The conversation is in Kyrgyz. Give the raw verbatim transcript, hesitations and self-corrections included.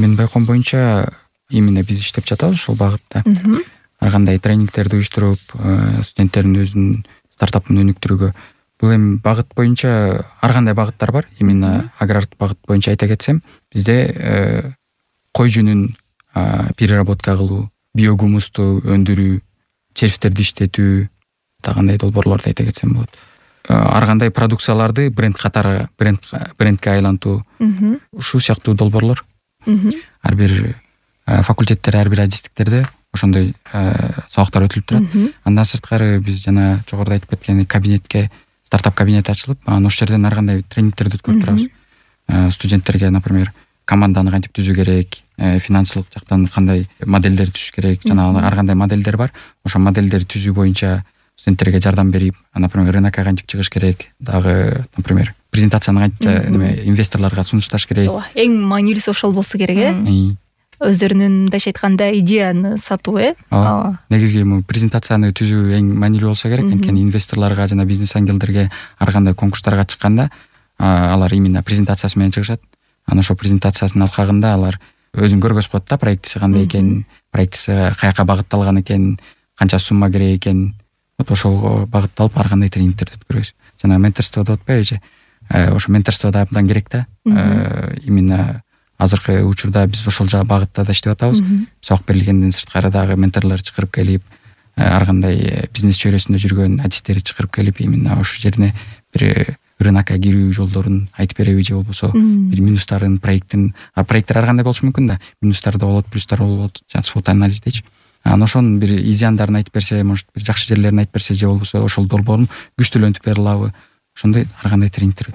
Менин байкоом боюнча именно биз иштеп жатабыз ошол багытта. Ар кандай тренингтерди уюштуруп, студенттердин өзүнүн стартапын өнүктүрүүгө. Бул эми багыт боюнча ар кандай багыттар бар. Именно агрардык багыт боюнча айта кетсем, бизде кой жүнүн переработка кылуу, биогумусту өндүрүү, червьтерди иштетүү, да кандай долбоорлорду айта кетсем болот. Ар кандай продукцияларды бренд катары бренд брендке айлантуу, ушул сыяктуу долбоорлор. Ар бир факультеттер, ар бир адистиктерде ошондой сабактар өтүлүп турат. Андан сырткары биз жана жогоруда айтып кеткен кабинетке стартап кабинет ачылып, анан ошол жерден ар кандай тренингтерди өткөрүп турабыз. Студенттерге, например, команданы кантип түзүү керек, финансылык жактан кандай модельдер түзүш керек, жана ар кандай модельдер бар. Ошол модельдерди түзүү боюнча студенттерге жардам берип, например, рынокко кантип чыгыш керек, дагы, например, презентацияны кантип неме инвесторлорго сунушташ керек. Эң маанилүүсү ошол болсо керек, э? Өздөрүнүн мындайча айтканда идеяны сатуу, э? Ооба. Негизги бул презентацияны түзүү эң маанилүү болсо керек. Анткени инвесторлорго жана бизнес ангелдерге ар кандай конкурстарга чыкканда алар именно презентациясы менен чыгышат. Анан ошол презентациясынын алкагында алар өзүн көргөзүп коет да, проектиси кандай экенин, проектиси каяка багытталган экенин, канча сумма керек экенин. Вот ошолго багытталып ар кандай тренингтерди өткөрөбүз. Жана менторство деп атпайбы же? Ошо менторство да абдан керек да. Именно азыркы учурда биз ошол жагы багытта да иштеп атабыз. Сабак берилгенден сырткары дагы менторлор чакырып келип, ар кандай бизнес чөйрөсүндө жүргөн адистерди чакырып келип, именно ошол жерине бир рынокко кирүү жолдорун айтып береби же болбосо бир минустарын, проекттин, а проекттер ар кандай болушу мүмкүн да. Минустар да болот, плюстар болот, жана свот анализ дейчи. Анан ошонун бир изяндарын айтып берсе, может бир жакшы жерлерин айтып берсе же болбосо ошол долбоорун күчтүүлөнтүп бере алабы? Ошондой ар кандай тренингтер.